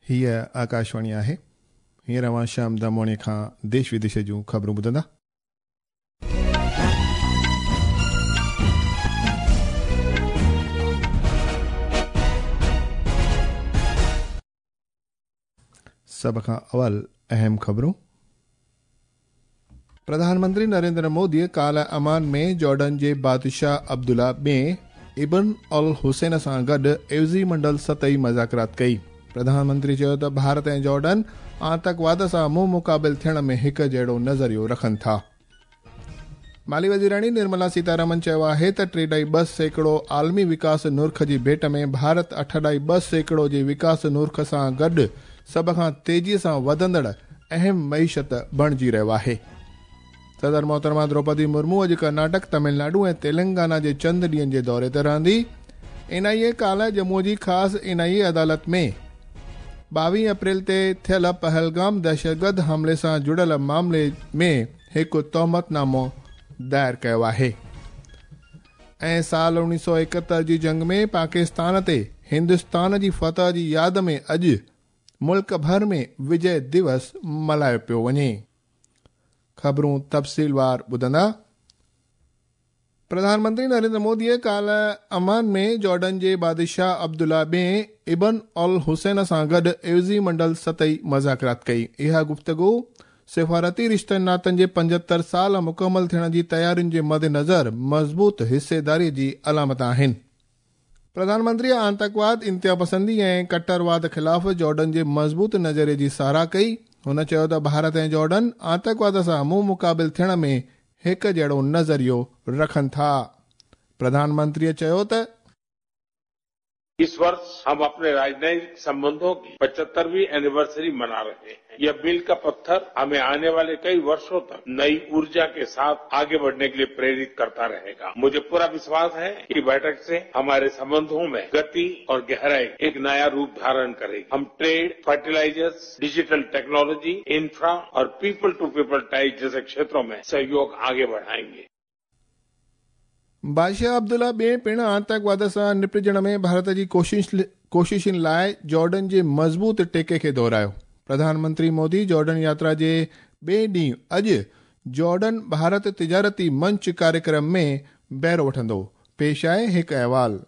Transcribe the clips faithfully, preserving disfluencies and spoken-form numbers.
हीअ आकाशवाणी आहे। हींअर अव्हां श्याम दामोणी खां देश विदेश जूं ख़बरूं ॿुधंदा। सभ खां अवल अहम ख़बरूं। प्रधानमंत्री नरेंद्र मोदी काल्ह अमान में जॉर्डन जे बादशाह अब्दुल्ला ॿिए इब्न अल हुसैन सां गॾु एवज़ी मंडल सतही मुज़ाकरात कई। प्रधानमंत्री चयो त भारत ऐं जॉर्डन आतंकवाद सां मुंहुं मुक़ाबिल थियण में हिकु जहिड़ो नज़रियो रखनि था। माली वज़ीराणी निर्मला सीतारमन चयो आहे त टे ॾाई ॿ सैकड़ो आलमी विकास नुर्ख जी भेंट में भारत अठ ॾाई ॿ सैकड़ो जे विकास नुर्ख सां गॾु सभ खां तेज़ीअ सां वधंदड़ अहम मईशत बणिजी रहियो आहे। सदर मोहतरमा द्रौपदी मुर्मू अॼु कर्नाटक, तमिलनाडु ऐं तेलंगाना जे चंद ॾींहनि जे दौरे ते रहंदी। एन आई ए काल्ह जम्मू जी ख़ासि एन आई ए अदालत में ॿावीह अप्रैल ते थियल पहलगाम दहशतगर्द हमले सां जुड़ियल मामले में हिकु तोहमतनामो दायर कयो आहे। ऐं साल उणिवीह सौ एकहतरि जी जंग में पाकिस्तान ते हिंदुस्तान जी फतह जी याद में अॼु मुल्क भर में विजय दिवस मल्हायो पियो वञे। ख़बरूं तफ़सीलवार ॿुधंदा। प्रधानमंत्री नरेंद्र मोदीअ काल्ह अमान में जॉर्डन जे बादशाह अब्दुल्ला ॿिए इब्न अल हुसैन सां गॾु एवज़ी मंडल सतही मुज़ाकरात कई। इहा गुफ़्तगू सिफारती रिश्तनि नातनि जे पंजहतरि साल मुकमल थियण जी तयारियुनि जे मद्देनज़र मज़बूत हिस्सेदारीअ जी अलामत आहिनि। प्रधानमंत्री आतंकवाद, इंतिहा पसंदी ऐं कट्टरवाद ख़िलाफ़ जॉर्डन जे मज़बूत नज़रिए जी सराह कई। हुन चयो त भारत ऐं जॉर्डन आतंकवाद सां मुंहुं मुक़ाबिल थियण में हिकु जहिड़ो नज़रियो रखनि था। प्रधानमंत्रीअ चयो त इस वर्ष हम अपने राजनयिक संबंधों की पचहत्तरवीं एनिवर्सरी मना रहे हैं। यह मील का पत्थर हमें आने वाले कई वर्षों तक नई ऊर्जा के साथ आगे बढ़ने के लिए प्रेरित करता रहेगा। मुझे पूरा विश्वास है कि बैठक से हमारे संबंधों में गति और गहराई एक नया रूप धारण करेगी। हम trade, fertilisers, digital technology, infra और पीपल टू पीपल टाइज जैसे क्षेत्रों में सहयोग आगे बढ़ाएंगे। बादशाह अब्दुल्ला ॿिए पिणु आतंकवाद सां निपटिजण में भारत जी कोशिश कोशिशुनि लाइ जॉर्डन जे मज़बूत टेके खे दोहरायो। प्रधानमंत्री मोदी जॉर्डन यात्रा जे ॿिए ॾींहुं अॼु जॉर्डन भारत तिजारती मंच कार्यक्रम में बहिरो वठंदो। पेश आहे हिकु अहवाल।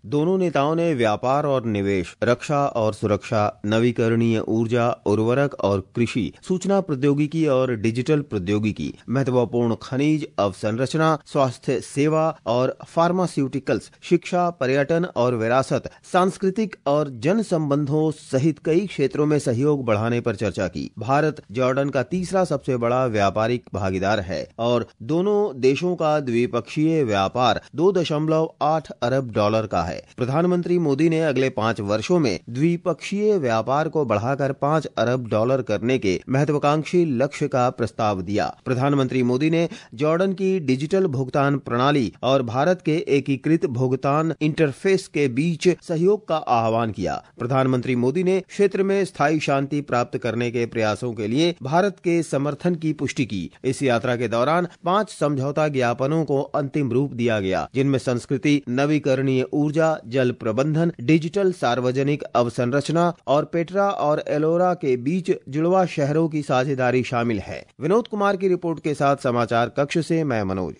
दोनों नेताओं ने व्यापार और निवेश, रक्षा और सुरक्षा, नवीकरणीय ऊर्जा, उर्वरक और कृषि, सूचना प्रौद्योगिकी और डिजिटल प्रौद्योगिकी, महत्वपूर्ण खनिज अवसंरचना, स्वास्थ्य सेवा और फार्मास्यूटिकल्स, शिक्षा, पर्यटन और विरासत, सांस्कृतिक और जन संबंधों सहित कई क्षेत्रों में सहयोग बढ़ाने पर चर्चा की। भारत जॉर्डन का तीसरा सबसे बड़ा व्यापारिक भागीदार है और दोनों देशों का द्विपक्षीय व्यापार दो दशमलव आठ अरब डॉलर का है। प्रधानमंत्री मोदी ने अगले पांच वर्षों में द्विपक्षीय व्यापार को बढ़ाकर पांच अरब डॉलर करने के महत्वाकांक्षी लक्ष्य का प्रस्ताव दिया। प्रधानमंत्री मोदी ने जॉर्डन की डिजिटल भुगतान प्रणाली और भारत के एकीकृत भुगतान इंटरफेस के बीच सहयोग का आह्वान किया। प्रधानमंत्री मोदी ने क्षेत्र में स्थायी शांति प्राप्त करने के प्रयासों के लिए भारत के समर्थन की पुष्टि की। इस यात्रा के दौरान पांच समझौता ज्ञापनों को अंतिम रूप दिया गया, जिनमें संस्कृति, नवीकरणीय ऊर्जा, जल प्रबंधन, डिजिटल सार्वजनिक अवसंरचना और पेट्रा और एलोरा के बीच जुड़वा शहरों की साझेदारी शामिल है। विनोद कुमार की रिपोर्ट के साथ समाचार कक्ष से मैं मनोज।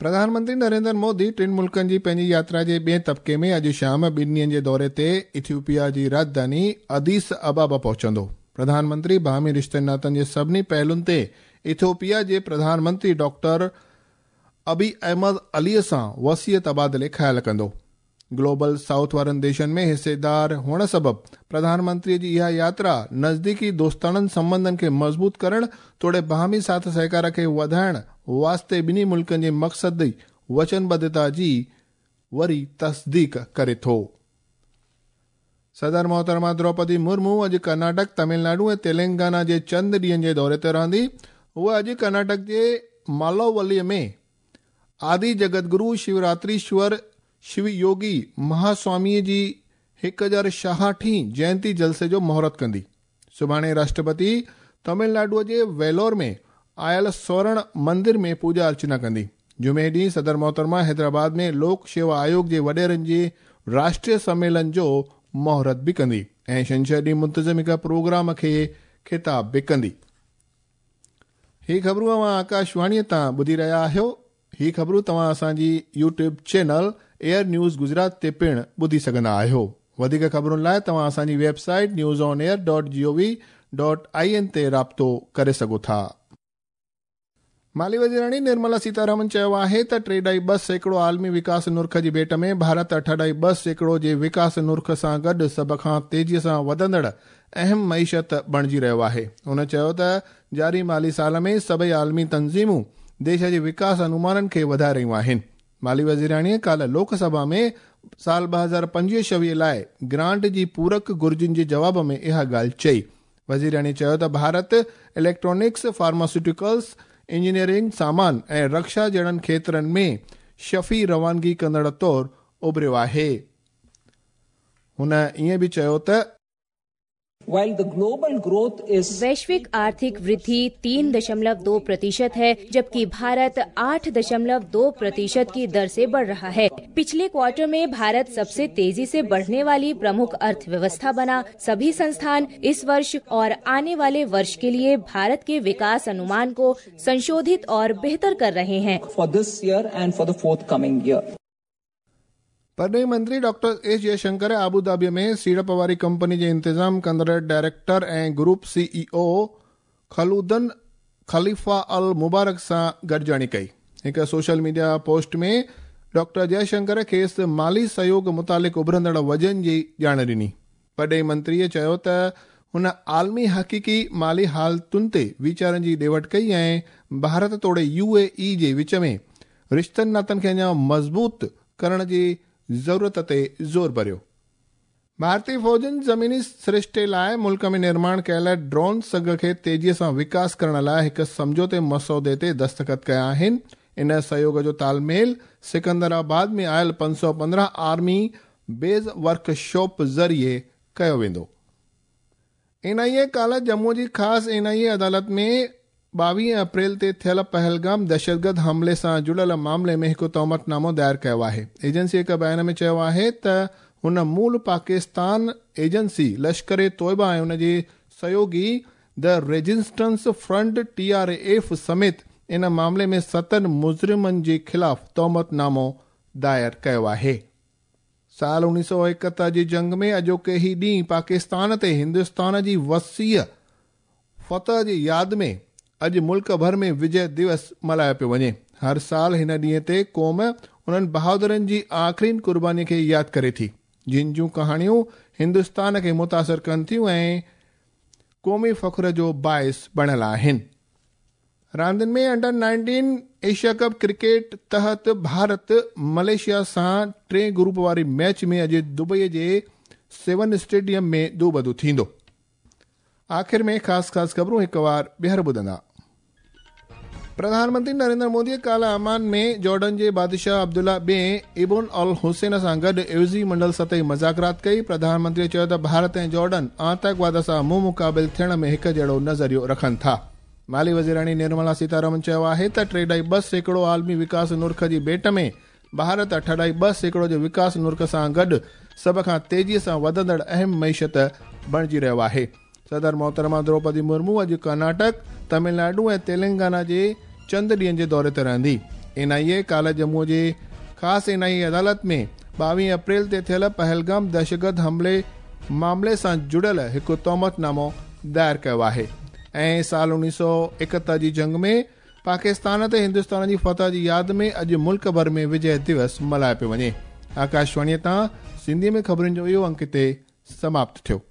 प्रधानमंत्री नरेंद्र मोदी टिनि मुल्कनि जी पंहिंजी यात्रा जे ॿिए तबके में अॼु शाम ॿिनि ॾींहनि जे दौरे ते इथियोपिया जी राजधानी अदीस अबाबा पहुचंदो। प्रधानमंत्री बाहमी रिश्तनि नातनि जे सभिनी पहलुनि ते इथियोपिया जे प्रधानमंत्री डॉक्टर अबी अहमद अलीअ सां वसीअ तबादिले ख़्याल कंदो। ग्लोबल साउथ वारनि देशनि में हिस्सेदार हुअण सबबु प्रधानमंत्रीअ जी इहा यात्रा नज़दीकी दोस्ताणनि संबंधनि खे मज़बूत करण तोड़े बाहमी साथ सहकार खे वधाइण वास्ते ॿिन्ही मुल्कनि जे मक़सदी वचनबद्धता जी वरी तस्दीक करे थो। सदर मोहतरमा द्रौपदी मुर्मू अॼु कर्नाटक, तमिलनाडु ऐं तेलंगाना जे चंद ॾींहनि जे दौरे ते रहंदी। हूअ अॼु कर्नाटक जे मालोवलीअ में आदि जगतगुरु शिवरात्रीश्वर शिवयोगी महास्वामीअ जी हिकु हज़ार छाहठीं जयंती जलसे जो मुहूर्त कंदी। सुभाणे राष्ट्रपति तमिलनाडुअ जे वेलोर में आयल स्वर्ण मंदिर में पूजा अर्चना कंदी। जुमे ॾींहुं सदर मोहतरमा हैदराबाद में लोक सेवा आयोग जे वॾेरनि जे राष्ट्रीय सम्मेलन जो मुहूर्त बि कंदी ऐं छंछर ॾींहुं मुंतज़िम हिकु प्रोग्राम खे ख़िताब बि कंदी। ही ख़बरूं अव्हां आकाशवाणीअ तां ॿुधी रहिया आहियो। ही ख़बरूं तव्हां असांजी YouTube channel Air News Gujarat ते पिणु ॿुधी सघंदा आहियो। वधीक ख़बरुनि लाइ तव्हां असांजी website news on air dot G O V dot I N ते राब्तो करे सघो था। माली वज़ीराणी निर्मला सीतारमण चयो आहे त टे ढाई ॿ सैकड़ो आलमी विकास नुर्ख जी भेंट में भारत अठ ढाई ॿ सैकड़ो जे विकास नुर्ख सां गॾु सभ खां तेज़ीअ सां वधंदड़ अहम मईशत बणिजी रहियो आहे। हुन चयो त जारी माली साल में सभई आलमी तंज़ीमूं देश जे विकास अनुमाननि खे वधाए रहियूं आहिनि। माली वज़ीराणीअ काल्ह लोकसभा में साल ॿ हज़ार पंजवीह छवीह लाइ ग्रांट जी पूरक घुर्जुनि जे जवाब में इहा ॻाल्हि चई। वज़ीराणी चयो त भारत इलेक्ट्रॉनिक्स, फार्मास्यूटिकल्स, इंजीनियरिंग सामान ऐं रक्षा जहिड़नि खेत्रनि में शफ़ी रवानगी कंदड़ तौरु उभरियो आहे। हुन ईअं बि चयो त While the global growth is वैश्विक आर्थिक वृद्धि तीन दशमलव दो प्रतिशत है, जबकि भारत आठ दशमलव दो प्रतिशत की दर से बढ़ रहा है। पिछले क्वार्टर में भारत सबसे तेजी से बढ़ने वाली प्रमुख अर्थव्यवस्था बना। सभी संस्थान इस वर्ष और आने वाले वर्ष के लिए भारत के विकास अनुमान को संशोधित और बेहतर कर रहे हैं। for this year and for the forthcoming year. परॾेही मंत्री डॉक्टर एस जयशंकर आबू धाबीअ में सीड़प वारी कंपनी जे इंतज़ाम कंदड़ डायरेक्टर ऐं group CEO Khaldoon Khalifa Al Mubarak सां गॾिजाणी कई। हिकु social media post में डॉक्टर जयशंकर खेसि माली सहयोग मुतालिक़ उभरंदड़ वजन जी ॼाण ॾिनी। परॾेही मंत्रीअ चयो त हुन आलमी हक़ीक़ी माली हालतुनि ते वीचारनि जी ॾे वठ कई ऐं भारत तोड़े यू ए ई जे विच में रिश्तनि नातनि खे अञा मज़बूत करण जी ज़रूरत ते ज़ोर भरियो। भारतीय फ़ौजुनि ज़मीनी सरिश्ते लाइ मुल्क में निर्माण कयल ड्रोन सघ खे तेज़ीअ सां विकास करण लाइ हिकु सम्झौते मसौदे ते दस्तख़त कया आहिनि। इन सहयोग जो तालमेल सिकंदराबाद में आयल पंज सौ पंद्रहं आर्मी बेस वर्कशॉप ज़रिए कयो वेंदो। एन आई ए काल्ह जम्मू जी ख़ासि एन आई ए अदालत में ॿावीह अप्रैल ते थियल पहलगाम दहशतगर्द हमले सां जुड़ियल मामले में हिकु तोहमतनामो दायर कयो आहे। एजेंसी हिकु बयान में चयो आहे त हुन मूल पाकिस्तान एजेंसी लश्कर तोयबा ऐं हुन जे सहयोगी the Resistance Front T R F समेत इन मामले में सतनि मुज़रिमनि जे ख़िलाफ़ तोहमतनामो दायर कयो आहे। साल उणिवीह सौ एकहतरि जी जंग में अॼोके ई ॾींहुं पाकिस्तान ते हिंदुस्तान जी वसीअ फतह जी यादि में अॼु मुल्क भर में विजय दिवस मल्हायो पियो वञे। हर साल हिन ॾींहं ते क़ौम उन्हनि बहादुरनि जी आख़िरीन क़ुर्बानी खे यादि करे थी, जिन जूं कहाणियूं हिंदुस्तान खे मुतासिर कनि थियूं ऐं क़ौमी फ़ख्र जो बाइस बणियल आहिनि। रांदियुनि में under nineteen Asia cup cricket तहत भारत मलेशिया सां टे ग्रुप वारी मैच में अॼु दुबईअ जे सेवन स्टेडियम में दूबदू थींदो। आख़िर में ख़ासि ख़ासि ख़बरूं हिकु वार ॿीहर ॿुधंदा। प्रधानमंत्री नरेंद्र मोदी काल्ह अमान में जॉर्डन जे बादशाह अब्दुल्ला ॿिए इब्न अल हुसैन सां गॾु एवज़ी मंडल सतही मुज़ाकरात कई। प्रधानमंत्री चयो त भारत ऐं जॉर्डन आतंकवाद सां मुंहुं मुक़ाबिल थियण में हिकु जहिड़ो नज़रियो रखनि था। माली वज़ीराणी निर्मला सीतारमण चयो आहे त टे ढाई ॿ सैकड़ो आलमी विकास नुर्ख जी भेंट में भारत अठ ढाई ॿ सैकड़ो जे विकास नुर्ख सां गॾु सभ खां तेज़ीअ सां वधंदड़ अहम मईशत बणिजी रहियो आहे। सदर मोहतरमा द्रौपदी मुर्मू अॼु कर्नाटक, तमिलनाडु ऐं तेलंगाना जे चंद ॾींहनि जे दौरे ते रहंदी। एन आई ए काल्ह जम्मू जे ख़ासि एन आई ए अदालत में ॿावीह अप्रैल ते थियल पहलगाम दहशतगर्द हमले मामले सां जुड़ियल हिकु तोहमतनामो दायर कयो आहे ऐं साल उणिवीह सौ एकहतरि जी जंग में पाकिस्तान ते हिंदुस्तान जी फतह जी यादि में अॼु मुल्क भर में विजय दिवस मल्हायो पियो वञे। आकाशवाणीअ तां सिंधीअ में ख़बरुनि जो इहो अंक हिते समाप्त थियो।